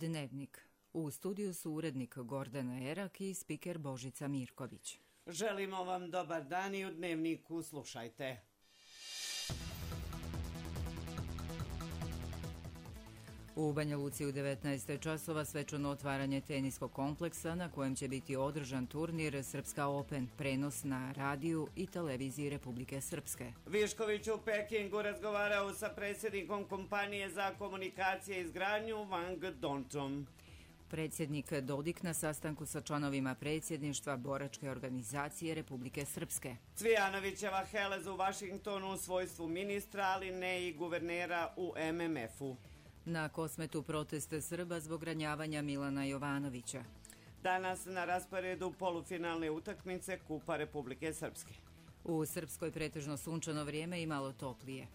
Dnevnik. U studiju su urednik Gordana Erak i spiker Božica Mirković. Želimo vam dobar dan i u Dnevniku slušajte. U Banja Luci u 19 časova svečano otvaranje teniskog kompleksa na kojem će biti održan turnir Srpska Open, prenos na radiju i televiziji Republike Srpske. Višković u Pekingu razgovarao sa predsjednikom kompanije za komunikacije i izgradnju Wang Dongtom. Predsjednik Dodik na sastanku sa članovima predsjedništva boračke organizacije Republike Srpske. Cvijanovićeva Helez u Vašingtonu u svojstvu ministra, ali ne i guvernera u MMF-u. Na Kosmetu proteste Srba zbog ranjavanja Milana Jovanovića. Danas na rasporedu polufinalne utakmice Kupa Republike Srpske. U Srpskoj pretežno sunčano vrijeme i malo toplije.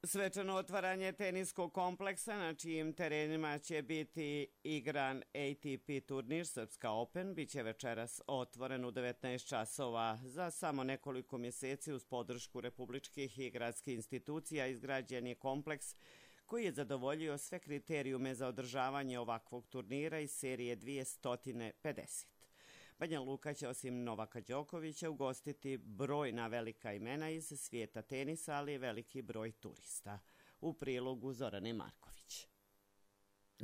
Svečano otvaranje teniskog kompleksa na čijim terenima će biti igran ATP turnir Srpska Open biće večeras otvoren u 19 časova. Za samo nekoliko mjeseci uz podršku republičkih i gradskih institucija izgrađen je kompleks koji je zadovoljio sve kriterijume za održavanje ovakvog turnira iz serije 250. Banja Luka će osim Novaka Đokovića ugostiti brojna velika imena iz svijeta tenisa, ali i veliki broj turista. U prilogu Zorane Marković.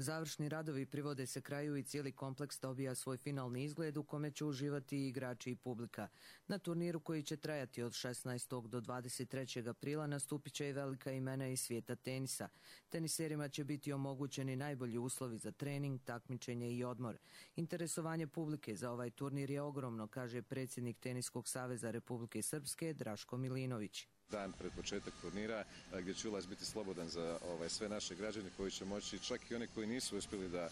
Završni radovi privode se kraju i cijeli kompleks dobija svoj finalni izgled u kome će uživati i igrači i publika. Na turniru koji će trajati od 16. do 23. aprila nastupit će i velika imena iz svijeta tenisa. Teniserima će biti omogućeni najbolji uslovi za trening, takmičenje i odmor. Interesovanje publike za ovaj turnir je ogromno, kaže predsjednik Teniskog saveza Republike Srpske Draško Milinović. Dan pred početak turnira gdje će ulaz biti slobodan za sve naše građane koji će moći, čak i oni koji nisu uspjeli da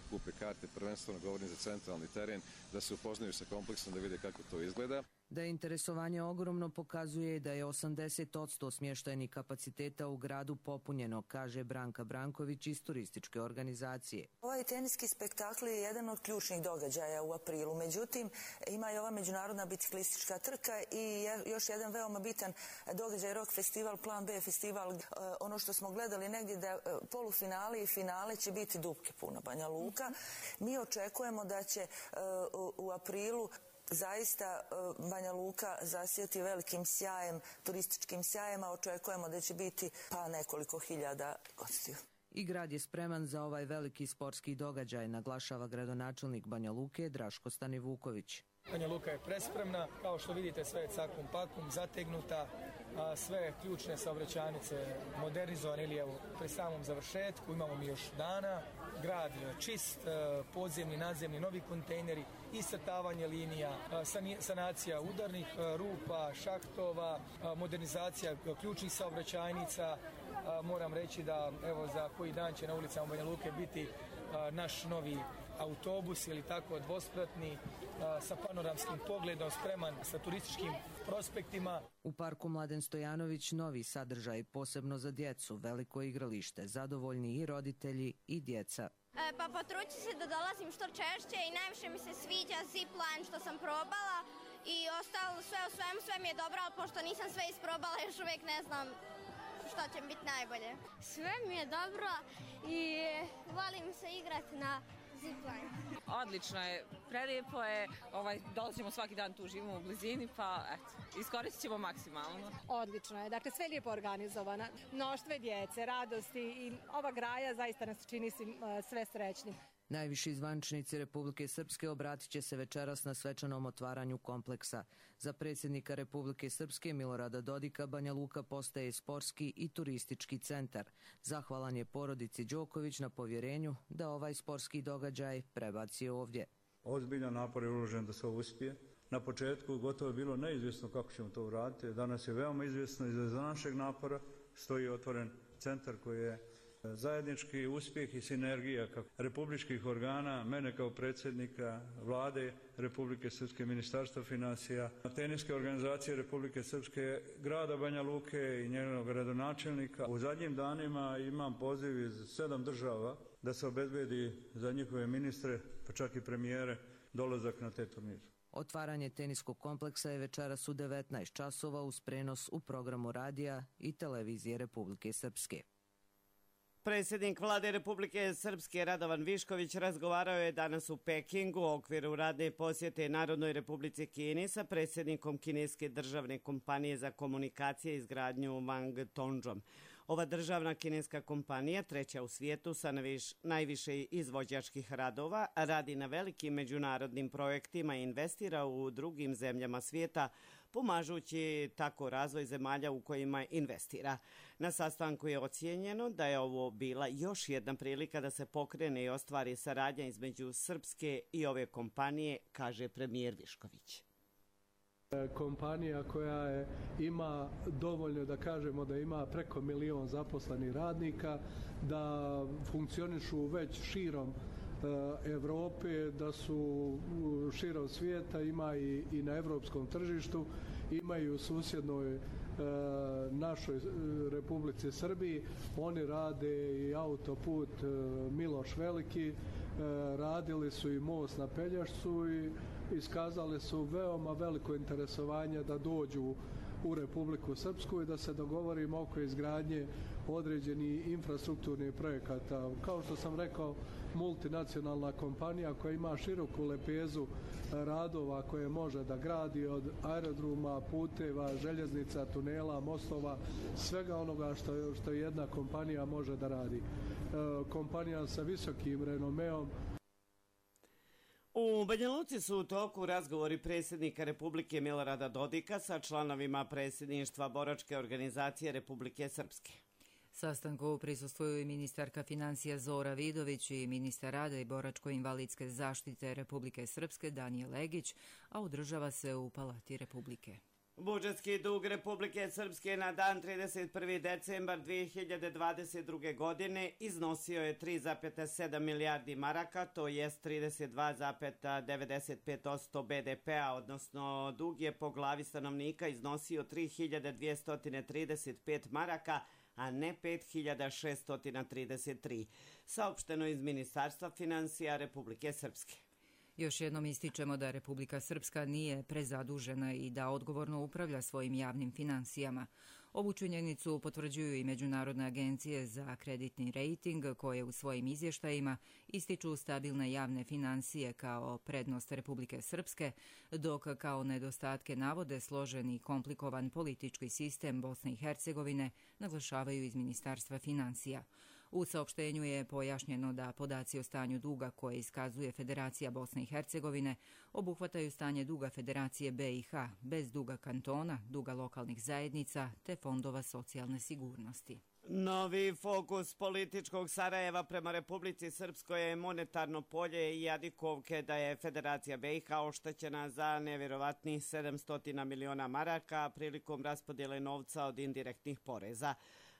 kupe karte, prvenstveno govorim za centralni teren, da se upoznaju sa kompleksom, da vide kako to izgleda. Da je interesovanje ogromno pokazuje da je 80% smještajnih kapaciteta u gradu popunjeno, kaže Branka Branković iz turističke organizacije. Ovaj teniski spektakl je jedan od ključnih događaja u aprilu, međutim ima i ova međunarodna biciklistička trka i još jedan veoma bitan događaj Rock Festival, Plan B festival. Ono što smo gledali negdje da polufinale i finale će biti dupke puna Banja Luka. Mi očekujemo da će u aprilu zaista Banja Luka zasijati velikim sjajem, turističkim sjajem, a očekujemo da će biti pa nekoliko hiljada gostiju. I grad je spreman za ovaj veliki sportski događaj, naglašava gradonačelnik Banja Luke Draško Stanivuković. Banja Luka je prespremna, kao što vidite sve je cakum pakum, zategnuta, sve ključne saobraćajnice modernizovane ili evo pri samom završetku, imamo mi još dana, grad čist, podzemni, nadzemni, novi kontejneri, iscrtavanje linija, sanacija udarnih rupa, šahtova, modernizacija ključnih saobraćajnica. Moram reći da evo za koji dan će na ulicama Banja Luke biti naš novi autobus ili tako dvospratni sa panoramskim pogledom, spreman sa turističkim prospektima. U parku Mladen Stojanović novi sadržaj posebno za djecu, veliko igralište, zadovoljni i roditelji i djeca. Pa potrudit ću se da dolazim što češće i najviše mi se sviđa zipline što sam probala i ostalo sve u svemu, sve mi je dobro, ali pošto nisam sve isprobala još uvijek ne znam što će biti najbolje. Sve mi je dobro i volim se igrati na zipline. Odlično je, prelijepo je, dolazimo svaki dan tu, živimo u blizini, pa eto, iskoristit ćemo maksimalno. Odlično je, dakle sve lijepo organizovano, mnoštve djece, radosti i ova graja zaista nas čini sve srećnim. Najviši zvaničnici Republike Srpske obratit će se večeras na svečanom otvaranju kompleksa. Za predsjednika Republike Srpske Milorada Dodika Banja Luka postaje sportski i turistički centar. Zahvalan je porodici Đoković na povjerenju da ovaj sportski događaj prebaci ovdje. Ozbiljan napor je uložen da se ovo uspije. Na početku gotovo je bilo neizvjesno kako ćemo to uraditi. Danas je veoma izvjesno i za našeg napora stoji otvoren centar koji je zajednički uspjeh i sinergija republičkih organa, mene kao predsjednika Vlade Republike Srpske, Ministarstva financija, teniske organizacije Republike Srpske, grada Banja Luke i njenog gradonačelnika. U zadnjim danima imam poziv iz 7 država da se obezbedi za njihove ministre, pa čak i premijere, dolazak na te turnire. Otvaranje teniskog kompleksa je večeras u 19 časova uz prenos u programu radija i televizije Republike Srpske. Predsjednik Vlade Republike Srpske Radovan Višković razgovarao je danas u Pekingu u okviru radne posjete Narodnoj Republici Kini sa predsjednikom kineske državne kompanije za komunikacije i izgradnju Wang Tongzhom. Ova državna kineska kompanija, treća u svijetu sa najviše izvođačkih radova, radi na velikim međunarodnim projektima i investira u drugim zemljama svijeta, pomažući tako razvoj zemalja u kojima investira. Na sastanku je ocijenjeno da je ovo bila još jedna prilika da se pokrene i ostvari saradnja između Srpske i ove kompanije, kaže premijer Višković. Kompanija koja ima dovoljno, da kažemo da ima preko 1 milion zaposlenih radnika, da funkcionišu već širom Evrope, da su širom svijeta, ima i na evropskom tržištu, imaju u susjednoj našoj Republici Srbiji. Oni rade i autoput Miloš Veliki, radili su i most na Pelješcu i iskazali su veoma veliko interesovanje da dođu u Republiku Srpsku i da se dogovorimo oko izgradnje određenih infrastrukturnih projekata. Kao što sam rekao, multinacionalna kompanija koja ima široku lepezu radova koje može da gradi od aerodroma, puteva, željeznica, tunela, mostova, svega onoga što jedna kompanija može da radi. Kompanija sa visokim renomeom. U Banja Luci su u toku razgovori predsjednika Republike Milorada Dodika sa članovima predsjedništva Boračke organizacije Republike Srpske. Sastanku prisustvuju i ministarka financija Zora Vidović i ministar rada i boračko-invalidske zaštite Republike Srpske Danijel Legić, a održava se u Palati Republike. Budžetski dug Republike Srpske na dan 31. decembar 2022. godine iznosio je 3,7 milijardi maraka, to jest 32,95% BDP-a, odnosno dug je po glavi stanovnika iznosio 3.235 maraka, a ne 5.633, saopšteno iz Ministarstva financija Republike Srpske. Još jednom ističemo da Republika Srpska nije prezadužena i da odgovorno upravlja svojim javnim finansijama. Ovu činjenicu potvrđuju i međunarodne agencije za kreditni rejting koje u svojim izvještajima ističu stabilne javne finansije kao prednost Republike Srpske, dok kao nedostatke navode složen i komplikovan politički sistem Bosne i Hercegovine, naglašavaju iz Ministarstva financija. U saopštenju je pojašnjeno da podaci o stanju duga koje iskazuje Federacija Bosne i Hercegovine obuhvataju stanje duga Federacije BiH bez duga kantona, duga lokalnih zajednica te fondova socijalne sigurnosti. Novi fokus političkog Sarajeva prema Republici Srpskoj je monetarno polje i jadikovke da je Federacija BiH oštećena za nevjerovatnih 700 miliona maraka prilikom raspodjele novca od indirektnih poreza.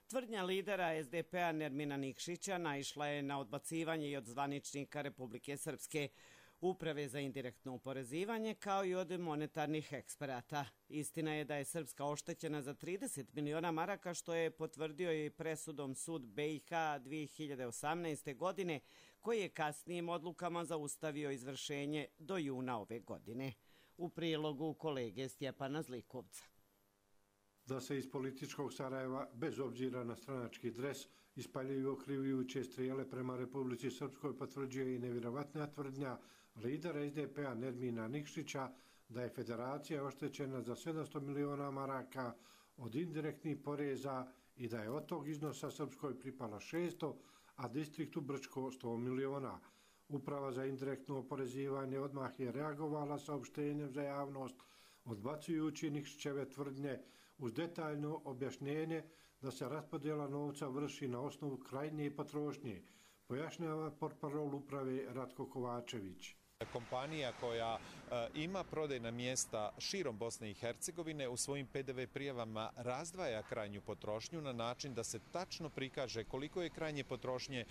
Tvrdnja lidera SDP-a Nermina Nikšića naišla je na odbacivanje i od zvaničnika Republike Srpske, Uprave za indirektno oporezivanje, kao i od monetarnih eksperata. Istina je da je Srpska oštećena za 30 miliona maraka, što je potvrdio i presudom sud BiH 2018. godine, koji je kasnijim odlukama zaustavio izvršenje do juna ove godine. U prilogu kolege Stjepana Zlikovca. Da se iz političkog Sarajeva, bez obzira na stranački dres, ispaljuju okrivljujuće strijele prema Republici Srpskoj, potvrđuje i nevjerovatna tvrdnja lidera SDP-a Nermina Nikšića da je federacija oštećena za 700 miliona maraka od indirektnih poreza i da je od tog iznosa Srpskoj pripala 600, a distriktu Brčko 100 miliona. Uprava za indirektno oporezivanje odmah je reagovala saopštenjem za javnost, odbacujući Nikšićeve tvrdnje uz detaljno objašnjenje da se raspodjela novca vrši na osnovu krajnje potrošnje, pojašnjava portparol uprave Ratko Kovačević. Kompanija koja ima prodajna mjesta širom Bosne i Hercegovine u svojim PDV prijavama razdvaja krajnju potrošnju na način da se tačno prikaže koliko je krajnje potrošnje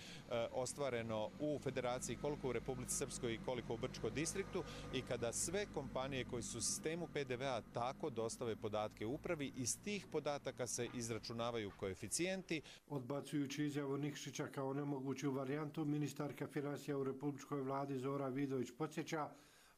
ostvareno u Federaciji, koliko u Republici Srpskoj i koliko u Brčkom distriktu, i kada sve kompanije koji su u sistemu PDV-a tako dostave podatke upravi, iz tih podataka se izračunavaju koeficijenti. Odbacujući izjavu Nikšića kao nemoguću varijantu, ministarka financija u Republičkoj vladi Zora Vidović podsjeća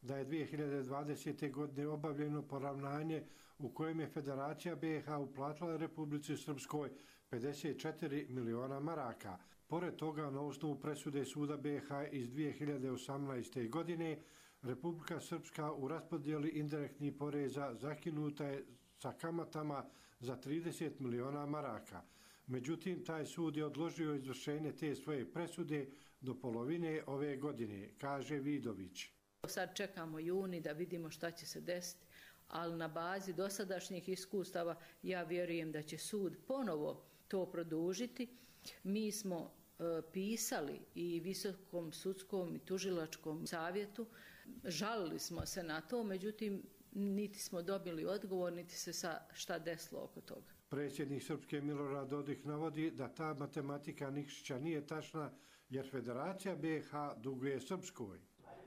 da je 2020. godine obavljeno poravnanje u kojem je Federacija BiH uplatila Republici Srpskoj 54 miliona maraka. Pored toga, na osnovu presude Suda BiH iz 2018. godine, Republika Srpska u raspodjeli indirektnih poreza zakinuta je sa kamatama za 30 miliona maraka. Međutim, taj sud je odložio izvršenje te svoje presude do polovine ove godine, kaže Vidović. Sad čekamo juni da vidimo šta će se desiti, ali na bazi dosadašnjih iskustava ja vjerujem da će sud ponovo to produžiti. Mi smo pisali i Visokom sudskom i tužilačkom savjetu, žalili smo se na to, međutim niti smo dobili odgovor, niti se šta desilo oko toga. Predsjednik Srpske Milorad Dodik navodi da ta matematika Nikšića nije tačna jer Federacija BiH duguje Srpskoj.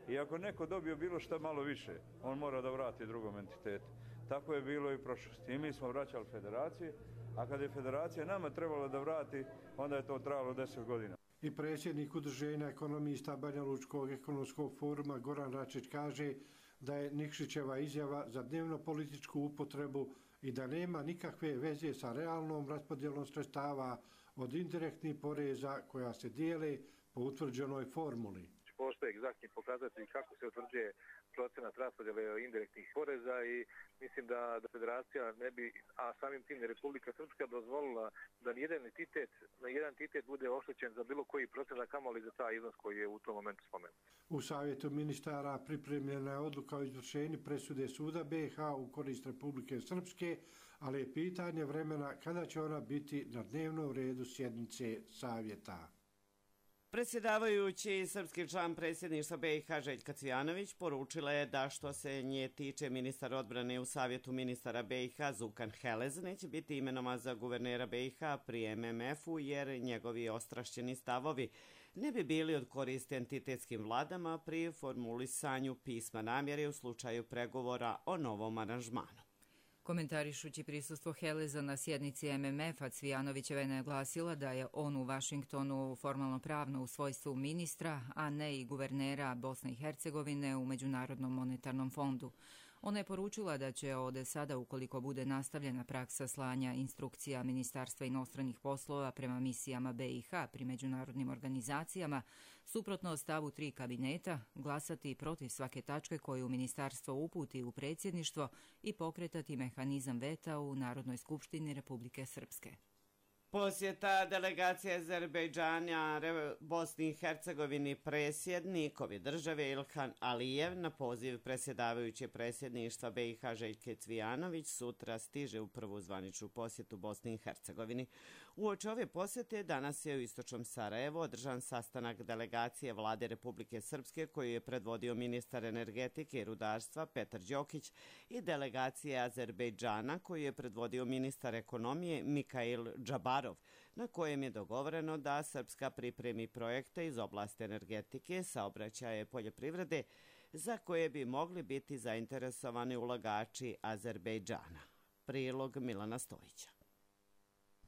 I ako neko dobio bilo šta malo više, on mora da vrati drugom entitetu. Tako je bilo i u prošlosti. I mi smo vraćali Federaciji, a kad je Federacija nama trebala da vrati, onda je to trajalo 10 godina. I predsjednik Udruženja ekonomista Banja Lučkog ekonomskog foruma Goran Račić kaže da je Nikšićeva izjava za dnevno političku upotrebu i da nema nikakve veze sa realnom raspodjelom sredstava od indirektnih poreza koja se dijele po utvrđenoj formuli. Postoje egzaktni pokazatelji kako se utvrđuje procenat raspodjele indirektnih poreza i mislim da Federacija ne bi, a samim tim i Republika Srpska dozvolila da nijedan entitet bude oštećen za bilo koji procenat, kamoli za taj iznos koji je u tom momentu spomenut. U Savjetu ministara pripremljena je odluka o izvršenju presude Suda BiH u korist Republike Srpske, ali je pitanje vremena kada će ona biti na dnevnom redu sjednice Savjeta. Predsjedavajući srpski član predsjedništva BiH Željka Cvijanović poručila je da što se nje tiče ministar odbrane u Savjetu ministara BiH Zukan Helez neće biti imenovan za guvernera BiH pri MMF-u jer njegovi ostrašćeni stavovi ne bi bili od koristi entitetskim vladama pri formulisanju pisma namjere u slučaju pregovora o novom aranžmanu. Komentarišući prisustvo Heleza na sjednici MMF-a, Cvijanovićeva je naglasila da je on u Vašingtonu formalno pravno u svojstvu ministra, a ne i guvernera Bosne i Hercegovine u Međunarodnom monetarnom fondu. Ona je poručila da će od sada, ukoliko bude nastavljena praksa slanja instrukcija Ministarstva inostranih poslova prema misijama BiH pri međunarodnim organizacijama, suprotno stavu 3 kabineta, glasati protiv svake tačke koju ministarstvo uputi u predsjedništvo i pokretati mehanizam veta u Narodnoj skupštini Republike Srpske. Posjeta delegacije Azerbejdžana Bosni i Hercegovini predsjednikovi države Ilhan Alijev na poziv predsjedavajuće predsjedništva BiH Željke Cvijanović sutra stiže u prvu zvaničnu posjetu Bosni i Hercegovini. Uoči ove posjete danas je u istočnom Sarajevu održan sastanak delegacije vlade Republike Srpske koju je predvodio ministar energetike i rudarstva Petar Đokić i delegacije Azerbejdžana koju je predvodio ministar ekonomije Mikail Džabarov, na kojem je dogovoreno da Srpska pripremi projekte iz oblasti energetike, saobraćaja i poljoprivrede za koje bi mogli biti zainteresovani ulagači Azerbejdžana. Prilog Milana Stojića.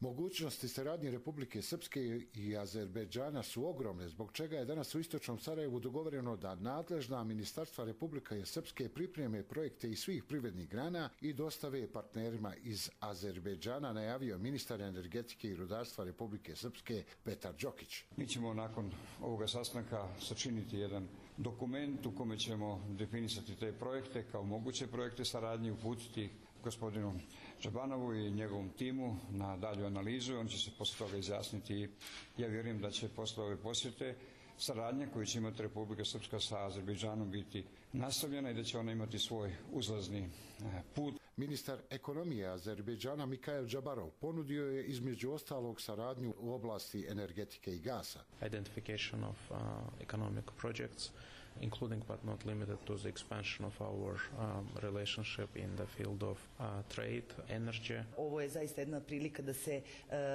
Mogućnosti saradnje Republike Srpske i Azerbejdžana su ogromne, zbog čega je danas u istočnom Sarajevu dogovoreno da nadležna ministarstva Republike Srpske pripreme projekte iz svih privrednih grana i dostave partnerima iz Azerbejdžana, najavio ministar energetike i rudarstva Republike Srpske Petar Đokić. Mi ćemo nakon ovoga sastanka sačiniti jedan dokument u kome ćemo definisati te projekte kao moguće projekte saradnje, uputiti gospodinu Džabanovu i njegovom timu na dalju analizu. On će se posle toga izjasniti. Ja vjerujem da će posle ove posjete saradnja koju će imati Republika Srpska sa Azerbejdžanom biti nastavljena i da će ona imati svoj uzlazni put. Ministar ekonomije Azerbejdžana Mikail Džabarov ponudio je između ostalog saradnju u oblasti energetike i gasa. Identification of economic projects, including but not limited to the expansion of our relationship in the field of trade, energy. Ovo je zaista jedna prilika da se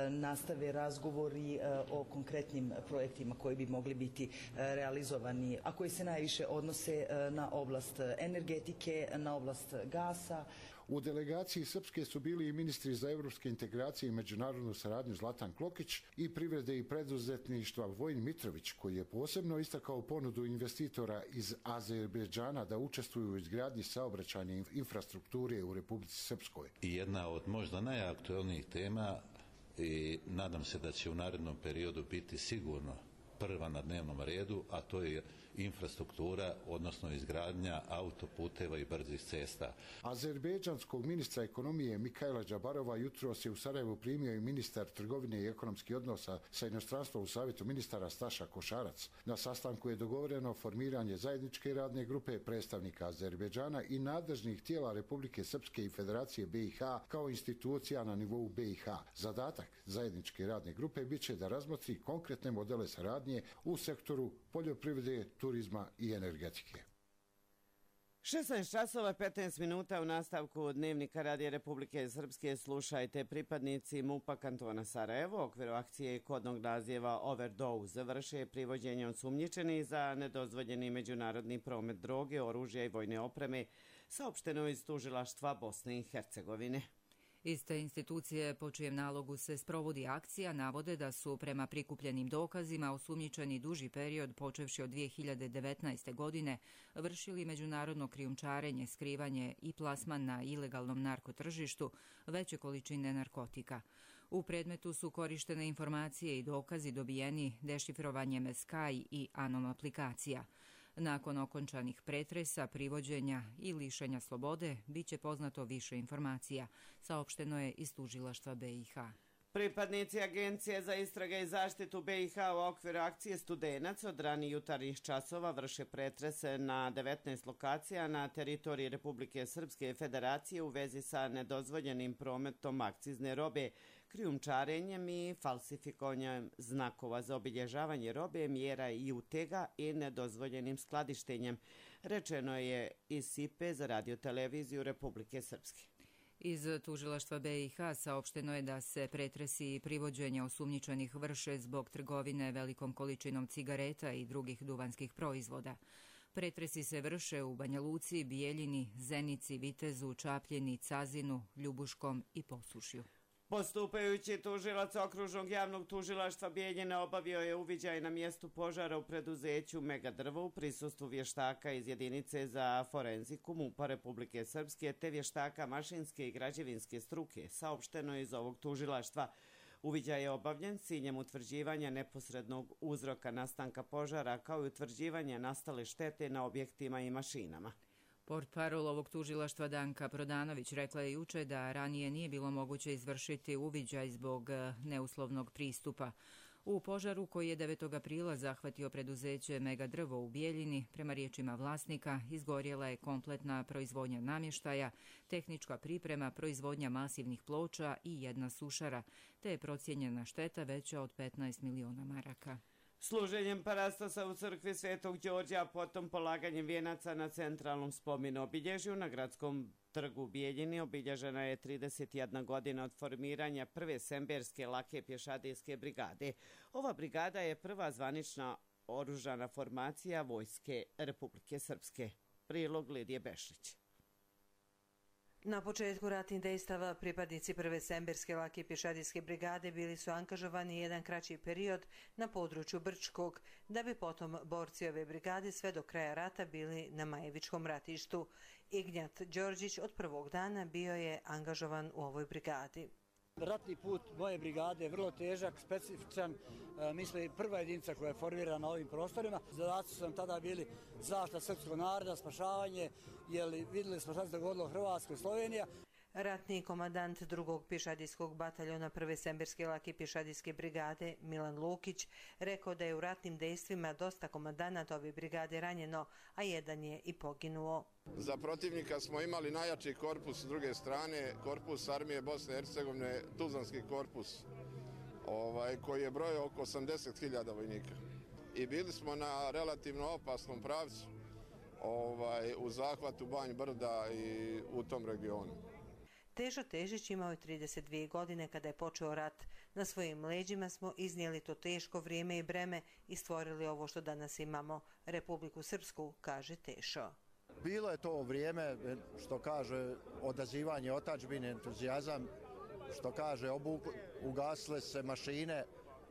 nastave razgovori o konkretnim projektima koji bi mogli biti realizovani, a koji se najviše odnose na oblast energetike, na oblast gasa. U delegaciji Srpske su bili i ministri za evropske integracije i međunarodnu saradnju Zlatan Klokić i privrede i preduzetništva Vojin Mitrović, koji je posebno istakao ponudu investitora iz Azerbejdžana da učestvuju u izgradnji saobraćajne infrastrukture u Republici Srpskoj. I jedna od možda najaktuelnijih tema i nadam se da će u narednom periodu biti sigurno prva na dnevnom redu, a to je infrastruktura, odnosno izgradnja autoputeva i brzih cesta. Azerbejdžanskog ministra ekonomije Mikaila Džabarova jutros je u Sarajevu primio i ministar trgovine i ekonomskih odnosa sa inostranstvom u Savjetu ministara Staša Košarac. Na sastanku je dogovoreno formiranje zajedničke radne grupe predstavnika Azerbejdžana i nadležnih tijela Republike Srpske i Federacije BiH kao institucija na nivou BiH. Zadatak zajedničke radne grupe biće da razmotri konkretne modele saradnje u sektoru poljoprivrede, turizma i energetike. 16 časova 15 minuta u nastavku Dnevnika Radija Republike Srpske slušajte pripadnici MUP-a kantona Sarajevo u okviru akcije kodnog naziva Overdose vrše privođenje osumnjičenih za nedozvoljeni međunarodni promet droge, oružja i vojne opreme, saopšteno iz tužilaštva Bosne i Hercegovine. Iste institucije po čijem nalogu se sprovodi akcija navode da su prema prikupljenim dokazima osumnjičeni duži period počevši od 2019. godine vršili međunarodno krijumčarenje, skrivanje i plasman na ilegalnom narkotržištu veće količine narkotika. U predmetu su korištene informacije i dokazi dobijeni dešifrovanjem Sky i Anom aplikacija. Nakon okončanih pretresa, privođenja i lišenja slobode, bit će poznato više informacija, saopšteno je iz tužilaštva BiH. Pripadnici Agencije za istrage i zaštitu BiH u okviru akcije Studenac od ranih jutarnjih časova vrše pretrese na 19 lokacija na teritoriji Republike Srpske Federacije u vezi sa nedozvoljenim prometom akcizne robe, krijumčarenjem i falsifikovanjem znakova za obilježavanje robe, mjera i utega i nedozvoljenim skladištenjem, rečeno je iz SIPE za radioteleviziju Republike Srpske. Iz tužilaštva BiH saopšteno je da se pretresi i privođenja osumnjičenih vrše zbog trgovine velikom količinom cigareta i drugih duvanskih proizvoda. Pretresi se vrše u Banja Luci, Bijeljini, Zenici, Vitezu, Čapljini, Cazinu, Ljubuškom i Posušju. Postupajući tužilac okružnog javnog tužilaštva Bijeljine obavio je uviđaj na mjestu požara u preduzeću Megadrvo u prisustvu vještaka iz jedinice za forenziku MUP-a Republike Srpske te vještaka mašinske i građevinske struke, saopšteno iz ovog tužilaštva. Uviđaj je obavljen s ciljem utvrđivanja neposrednog uzroka nastanka požara kao i utvrđivanja nastale štete na objektima i mašinama. Portparol ovog tužilaštva Danka Prodanović rekla je juče da ranije nije bilo moguće izvršiti uviđaj zbog neuslovnog pristupa. U požaru koji je 9. aprila zahvatio preduzeće Megadrvo u Bijeljini, prema riječima vlasnika, izgorjela je kompletna proizvodnja namještaja, tehnička priprema, proizvodnja masivnih ploča i jedna sušara, te je procijenjena šteta veća od 15 miliona maraka. Služenjem parastosa u crkvi Svetog Đorđa, potom polaganjem vijenaca na centralnom spomen obilježju na gradskom trgu u Bijeljini obilježena je 31 godina od formiranja prve semberske lake pješadijske brigade. Ova brigada je prva zvanična oružana formacija Vojske Republike Srpske. Prilog Lidije Bešlić. Na početku ratnih dejstava pripadnici prve semberske lake pješadijske brigade bili su angažovani jedan kraći period na području Brčkog, da bi potom borci ove brigade sve do kraja rata bili na Majevičkom ratištu. Ignjat Đorđić od prvog dana bio je angažovan u ovoj brigadi. Ratni put moje brigade je vrlo težak, specifičan, mislim prva jedinica koja je formirana na ovim prostorima. Zadaci su nam tada bili zaštita srpskog naroda, spašavanje, jer vidjeli smo šta se dogodilo Hrvatskoj i Slovenija. Ratni komandant drugog pješadijskog bataljona prve semberske lake pješadijske brigade Milan Lukić rekao da je u ratnim dejstvima dosta komandanata ove brigade ranjeno, a jedan je i poginuo. Za protivnika smo imali najjači korpus s druge strane, korpus armije Bosne i Hercegovine, Tuzlanski korpus, koji je brojao oko 80.000 vojnika. I bili smo na relativno opasnom pravcu u zahvatu Banj Brda i u tom regionu. Težo Težić imao je 32 godine kada je počeo rat. Na svojim leđima smo iznijeli to teško vrijeme i breme i stvorili ovo što danas imamo, Republiku Srpsku, kaže Tešo. Bilo je to vrijeme, što kaže, odazivanje otadžbine, entuzijazam, što kaže, ugasile se mašine,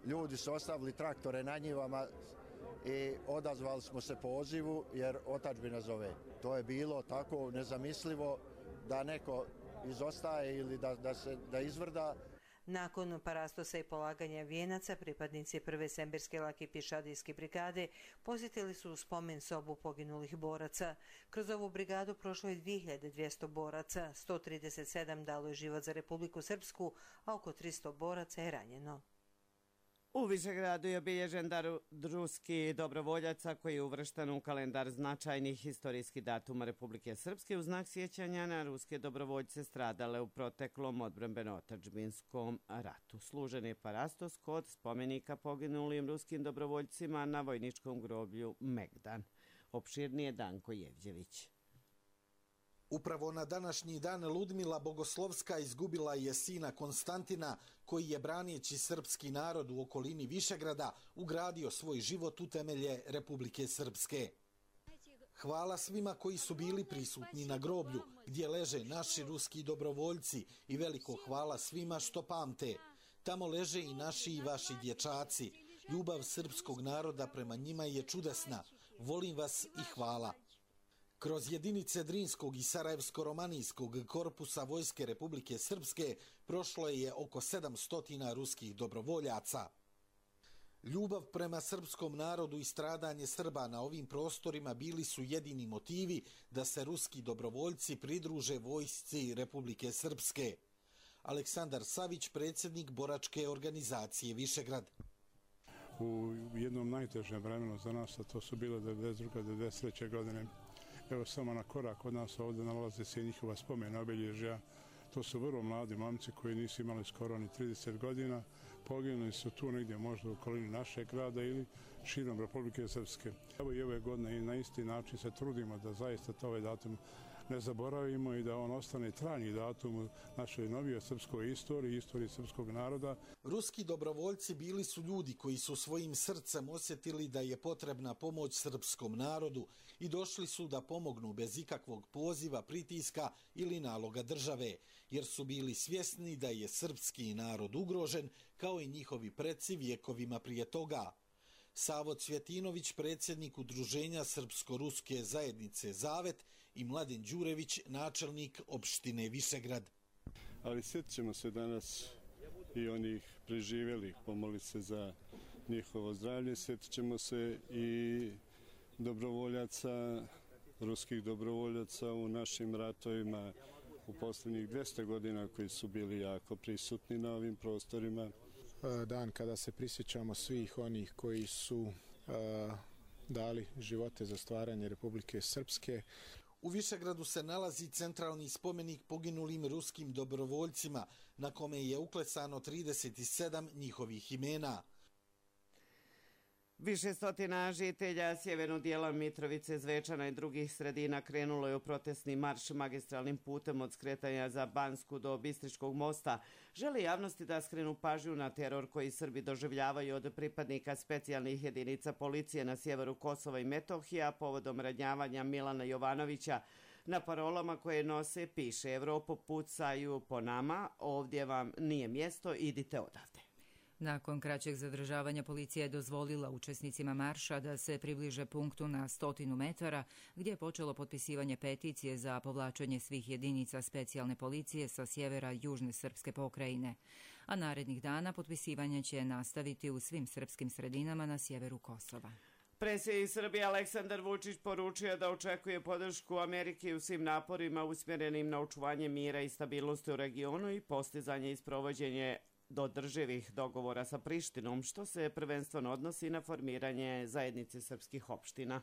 ljudi su ostavili traktore na njivama i odazvali smo se pozivu jer otadžbina zove. To je bilo tako nezamislivo da neko izostaje ili da izvrda. Nakon parastosa i polaganja vijenaca, pripadnici prve Semberske lake pješadijske brigade posjetili su spomen sobu poginulih boraca. Kroz ovu brigadu prošlo je 2200 boraca, 137 dalo je život za Republiku Srpsku, a oko 300 boraca je ranjeno. U Višegradu je obilježen dar ruskih dobrovoljaca koji je uvršten u kalendar značajnih historijskih datuma Republike Srpske u znak sjećanja na ruske dobrovoljce stradale u proteklom odbrambeno-otadžbinskom ratu. Služen je parastos kod spomenika poginulim ruskim dobrovoljcima na vojničkom groblju Megdan. Opširnije Danko Jevđević. Upravo na današnji dan Ludmila Bogoslovska izgubila je sina Konstantina, koji je branijeći srpski narod u okolini Višegrada ugradio svoj život u temelje Republike Srpske. Hvala svima koji su bili prisutni na groblju gdje leže naši ruski dobrovoljci i veliko hvala svima što pamte. Tamo leže i naši i vaši dječaci. Ljubav srpskog naroda prema njima je čudesna. Volim vas i hvala. Kroz jedinice Drinskog i Sarajevsko-romanijskog korpusa Vojske Republike Srpske prošlo je oko 700 ruskih dobrovoljaca. Ljubav prema srpskom narodu i stradanje Srba na ovim prostorima bili su jedini motivi da se ruski dobrovoljci pridruže vojsci Republike Srpske. Aleksandar Savić, predsjednik boračke organizacije Višegrad. U jednom najtežem vremenu za nas, a to su bile 92. 93. godine, evo samo na korak od nas ovdje nalaze se njihova spomena obilježja. To su vrlo mladi momci koji nisu imali skoro ni 30 godina. Poginuli su tu negdje možda u okolini našeg grada ili širom Republike Srpske. Evo i ove godine i na isti način se trudimo da zaista ovaj datum ne zaboravimo i da on ostane trajni datum u našoj novijoj srpskoj istoriji, istoriji srpskog naroda. Ruski dobrovoljci bili su ljudi koji su svojim srcem osjetili da je potrebna pomoć srpskom narodu i došli su da pomognu bez ikakvog poziva, pritiska ili naloga države, jer su bili svjesni da je srpski narod ugrožen kao i njihovi preci vjekovima prije toga. Savo Cvjetinović, predsjednik Udruženja Srpsko-ruske zajednice Zavet, i Mladen Đurević, načelnik opštine Višegrad. Ali sjetit ćemo se danas i onih preživjelih, pomoliti se za njihovo zdravlje, sjetit ćemo se i dobrovoljaca, ruskih dobrovoljaca u našim ratovima u posljednjih 200 godina koji su bili jako prisutni na ovim prostorima. Dan kada se prisjećamo svih onih koji su dali živote za stvaranje Republike Srpske. U Višegradu se nalazi centralni spomenik poginulim ruskim dobrovoljcima, na kome je uklesano 37 njihovih imena. Više stotina žitelja sjevernog dijela Mitrovice, Zvečana i drugih sredina krenulo je u protestni marš magistralnim putem od skretanja za Bansku do Bistričkog mosta. Želi javnosti da skrenu pažnju na teror koji Srbi doživljavaju od pripadnika specijalnih jedinica policije na sjeveru Kosova i Metohija povodom ranjavanja Milana Jovanovića. Na parolama koje nose piše: Evropo, pucaju po nama, ovdje vam nije mjesto, idite odavde. Nakon kraćeg zadržavanja policija je dozvolila učesnicima marša da se približe punktu na 100 metara gdje je počelo potpisivanje peticije za povlačenje svih jedinica specijalne policije sa sjevera južne srpske pokrajine. A narednih dana potpisivanje će nastaviti u svim srpskim sredinama na sjeveru Kosova. Predsjednik Srbije Aleksandar Vučić poručio da očekuje podršku Amerike u svim naporima usmjerenim na očuvanje mira i stabilnosti u regionu i postizanje i sprovođenje do održivih dogovora sa Prištinom, što se prvenstveno odnosi na formiranje zajednice srpskih opština.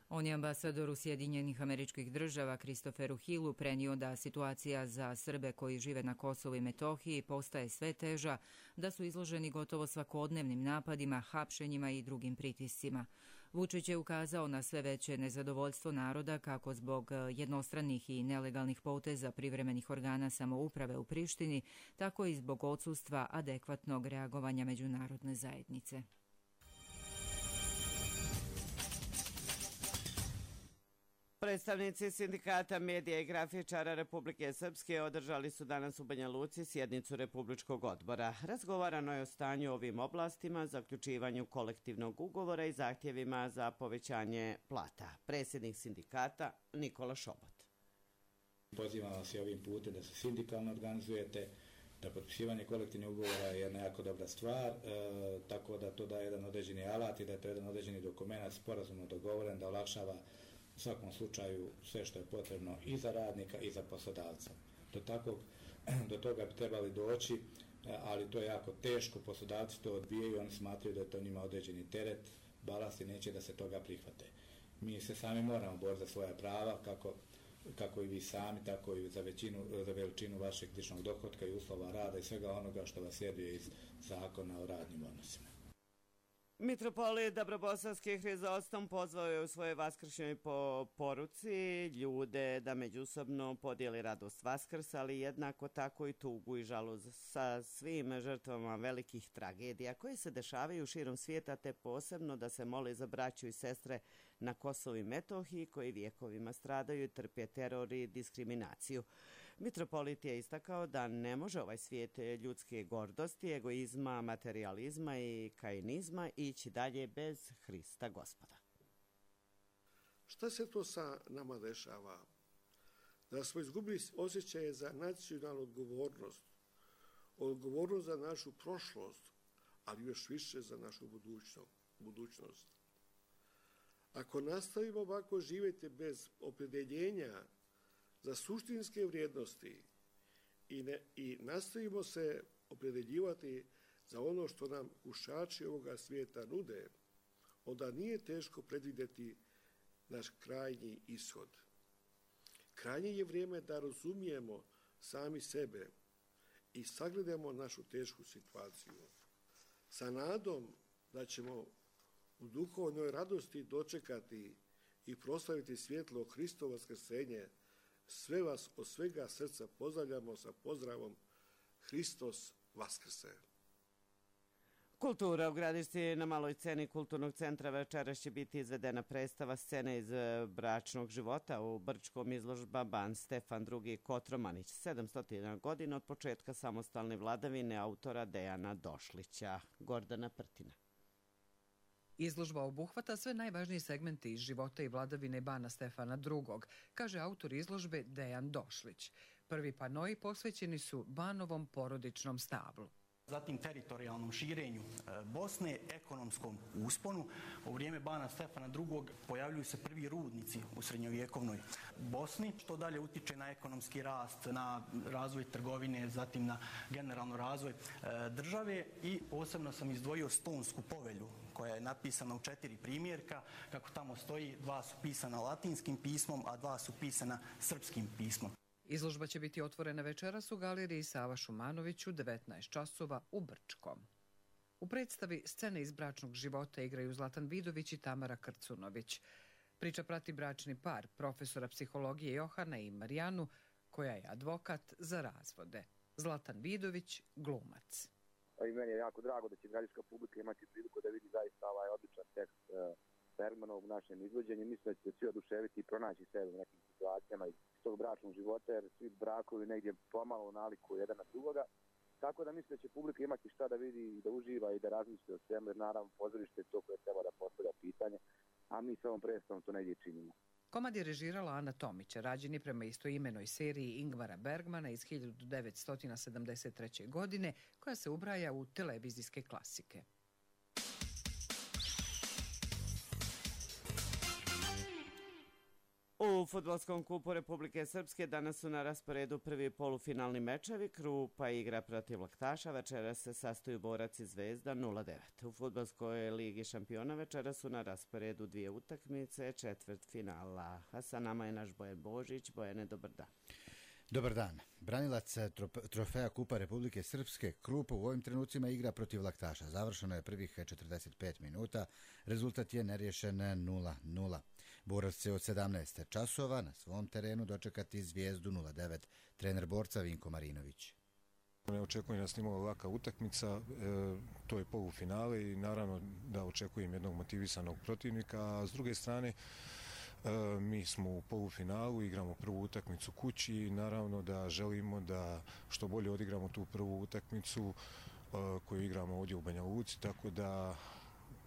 On je ambasadoru Sjedinjenih Američkih Država Kristoferu Hillu prenio da situacija za Srbe koji žive na Kosovu i Metohiji postaje sve teža, da su izloženi gotovo svakodnevnim napadima, hapšenjima i drugim pritiscima. Vučić je ukazao na sve veće nezadovoljstvo naroda kako zbog jednostranih i nelegalnih poteza privremenih organa samouprave u Prištini, tako i zbog odsustva adekvatnog reagovanja međunarodne zajednice. Predstavnici sindikata medija i grafičara Republike Srpske održali su danas u Banja Luci sjednicu Republičkog odbora. Razgovarano je o stanju ovim oblastima, zaključivanju kolektivnog ugovora i zahtjevima za povećanje plata. Predsjednik sindikata Nikola Šobot. Pozivam vas i ovim putem da se sindikalno organizujete, da potpisivanje kolektivnih ugovora je jedna jako dobra stvar, tako da to daje jedan određeni alat i da je to jedan određeni dokument sporazumno dogovoren da olakšava u svakom slučaju sve što je potrebno i za radnika i za poslodavca. Do toga bi trebali doći, ali to je jako teško, poslodavci to odbijaju, oni smatraju da je to njima određeni teret, balast i neće da se toga prihvate. Mi se sami moramo boriti za svoja prava, kako i vi sami, tako i za veličinu vašeg ličnog dohotka i uslova rada i svega onoga što vas sljeduje iz zakona o radnim odnosima. Mitropolit Dabrobosanski Hrizostom pozvao je u svojoj vaskršnjoj poruci ljude da međusobno podijeli radost Vaskrsa, ali jednako tako i tugu i žalost sa svim žrtvama velikih tragedija koje se dešavaju širom svijeta, te posebno da se moli za braću i sestre na Kosovu i Metohiji koji vjekovima stradaju i trpe teror i diskriminaciju. Mitropolit je istakao da ne može ovaj svijet ljudske gordosti, egoizma, materijalizma i kainizma ići dalje bez Hrista Gospoda. Šta se to sa nama dešava? Da smo izgubili osjećaje za nacionalnu odgovornost za našu prošlost, ali još više za našu budućnost. Ako nastavimo ovako živjeti bez opredjeljenja za suštinske vrijednosti i nastavimo se opredjeljivati za ono što nam kušači ovoga svijeta nude, onda nije teško predvidjeti naš krajnji ishod. Krajnje je vrijeme da razumijemo sami sebe i sagledamo našu tešku situaciju. Sa nadom da ćemo u duhovnoj radosti dočekati i proslaviti svjetlo Hristovo vaskrsenje, sve vas od svega srca pozdravljamo sa pozdravom Hristos Vaskrse. Kultura u Gradišci. Na maloj sceni Kulturnog centra večeras će biti izvedena predstava scene iz bračnog života u Brčkom, izložba Ban Stefan II. Kotromanić, 700 godina od početka samostalne vladavine autora Dejana Došlića. Gordana Prtina. Izložba obuhvata sve najvažnije segmente iz života i vladavine Bana Stefana II., kaže autor izložbe Dejan Došlić. Prvi panoi posvećeni su Banovom porodičnom stablu. Zatim teritorijalnom širenju Bosne, ekonomskom usponu. U vrijeme Bana Stefana II. Pojavljuju se prvi rudnici u srednjovjekovnoj Bosni, što dalje utiče na ekonomski rast, na razvoj trgovine, zatim na generalno razvoj države i posebno sam izdvojio Stonsku povelju, koja je napisana u 4 primjerka. Kako tamo stoji, 2 su pisana latinskim pismom, a 2 su pisana srpskim pismom. Izložba će biti otvorena večeras u galeriji Sava Šumanović u 19 časova u Brčkom. U predstavi Scene iz bračnog života igraju Zlatan Vidović i Tamara Krcunović. Priča prati bračni par profesora psihologije Johana i Marijanu, koja je advokat za razvode. Zlatan Vidović, glumac. I meni je jako drago da će građanska publika imati priliku da vidi zaista ovaj odličan tekst Bergmanov u našem izvođenju. Mislim da će svi oduševiti i pronaći sebe u nekim situacijama iz tog bračnog života, jer svi brakovi negdje pomalo nalikuju jedan na drugoga. Tako da mislim da će publika imati šta da vidi, da uživa i da razmisli o svemu, jer naravno pozorište je to koje treba da postavlja pitanje, a mi s ovom predstavom to negdje činimo. Komad je režirala Ana Tomić, rađen je prema istoimenoj seriji Ingmara Bergmana iz 1973. godine, koja se ubraja u televizijske klasike. U fudbalskom kupu Republike Srpske danas su na rasporedu prvi polufinalni mečevi. Krupa igra protiv Laktaša, večera se sastoju Borac i Zvezda 0-9. U fudbalskoj ligi šampiona večera su na rasporedu 2 utakmice, četvrt finala. A sa nama je naš Bojan Božić. Bojane, dobar dan. Dobar dan. Branilac trofeja Kupa Republike Srpske Krupa u ovim trenucima igra protiv Laktaša. Završeno je prvih 45 minuta. Rezultat je neriješen 0-0. Borac će od 17 časova na svom terenu dočekati Zvijezdu 0-9. Trener Borca Vinko Marinović. Ne očekujem da snimamo laka utakmica, to je polufinale i naravno da očekujem jednog motivisanog protivnika, a s druge strane Mi smo u polufinalu, igramo prvu utakmicu kući i naravno da želimo da što bolje odigramo tu prvu utakmicu koju igramo ovdje u Banja Luci, tako da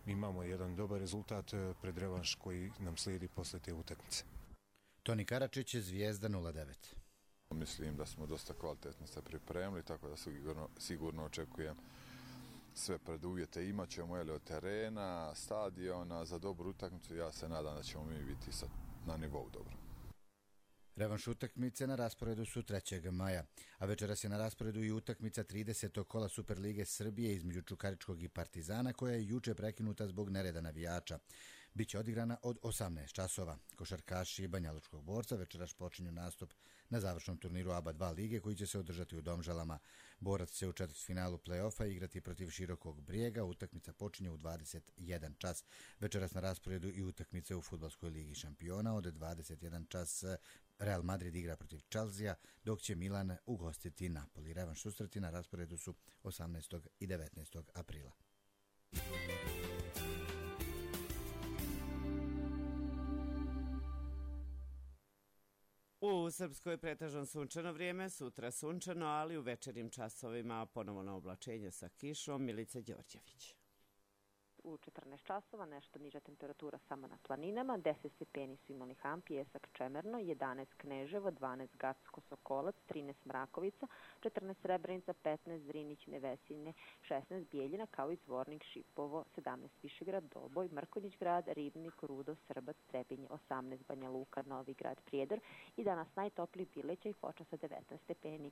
imamo jedan dobar rezultat pred revanš koji nam slijedi posle te utakmice. Toni Karačić je Zvijezda 09. Mislim da smo dosta kvalitetno se pripremili, tako da sigurno očekujem sve preduvjete. Imat ćemo od terena, stadiona za dobru utakmicu. Ja se nadam da ćemo mi biti na nivou dobro. Revanš utakmice na rasporedu su 3. maja, a večeras je na rasporedu i utakmica 30. kola Superlige Srbije između Čukaričkog i Partizana, koja je juče prekinuta zbog nereda navijača. Biće odigrana od 18 časova. Košarkaši Banjalučkog Borca večeras počinju nastup na završnom turniru ABA 2 lige koji će se održati u Domžalama. Borac će u četvrtfinalu play-offa igrati protiv Širokog Brijega. Utakmica počinje u 21 čas. Večeras na rasporedu i utakmice u Fudbalskoj ligi šampiona. Od 21 čas Real Madrid igra protiv Chelsea, dok će Milan ugostiti Napoli. Revanš susreti na rasporedu su 18. i 19. aprila. U Srpskoj pretežno sunčano vrijeme, sutra sunčano, ali u večernjim časovima ponovo oblačenje sa kišom. Milica Đorđević. U 14 časova nešto niža temperatura samo na planinama, 10 stepeni su imali Ham, Pijesak, Čemerno, 11 Kneževo, 12 Gacko, Sokolac, 13 Mrakovica, 14 Srebrenica, 15 Zrinić, Nevesinje, 16 Bijeljina, kao i Zvornik, Šipovo, 17 Višegrad, Doboj, Mrkonjić grad, Ribnik, Rudo, Srbac, Trebinje, 18 Banja Luka, Novi grad, Prijedor i danas najtopliji Bileća i Foča sa 19 stepeni.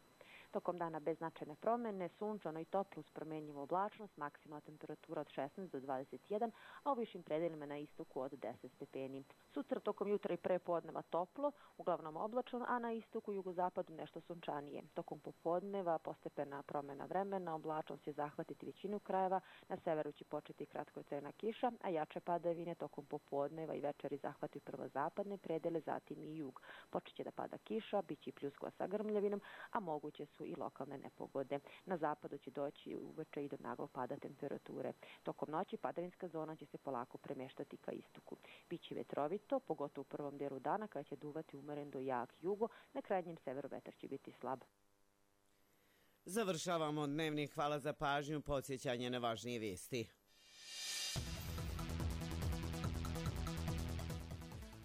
Tokom dana bez značajne promjene, sunčano i toplo uz promjenjivu oblačnost, maksimalna temperatura od 16 do 21, a u višim predelima na istoku od 10 stepeni. Sutra tokom jutra i prepodneva toplo, uglavnom oblačno, a na istoku i jugozapadu nešto sunčanije. Tokom popodneva postepena promjena vremena, oblačnost će zahvatiti većinu krajeva, na severu će početi kratkotrajna kiša, a jače padavine tokom popodneva i večeri zahvati prvo zapadne predele, zatim i jug. Počeće da pada kiša, bit će i pljuskova sa grmljavinom, a moguće su i lokalne nepogode. Na zapadu će doći uveče i do naglog pada temperature. Tokom noći padavinska zona će se polako premještati ka istoku. Biće vetrovito, pogotovo u prvom dijelu dana kada će duvati umeren do jak jugo, na krajnjem severu vetar će biti slab. Završavamo dnevnik. Hvala za pažnju, podsjećanje na važnije vijesti.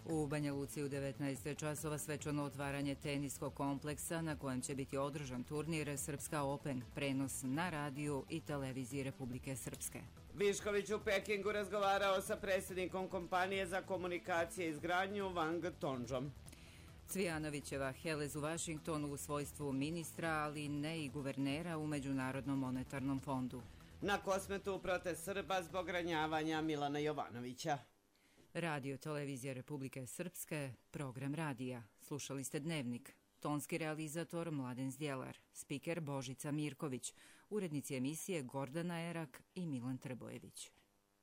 U Banja Luci u 19. časova svečano otvaranje teniskog kompleksa na kojem će biti održan turnir Srpska Open, prenos na radiju i televiziji Republike Srpske. Višković u Pekingu razgovarao sa predsjednikom kompanije za komunikacije i izgradnju Wang Tonžom. Cvijanovićeva Helez u Vašingtonu u svojstvu ministra, ali ne i guvernera u Međunarodnom monetarnom fondu. Na Kosmetu protest Srba zbog ranjavanja Milana Jovanovića. Radio televizija Republike Srpske, program radija. Slušali ste Dnevnik. Tonski realizator Mladen Zdjelar, spiker Božica Mirković, urednici emisije Gordana Erak i Milan Trbojević.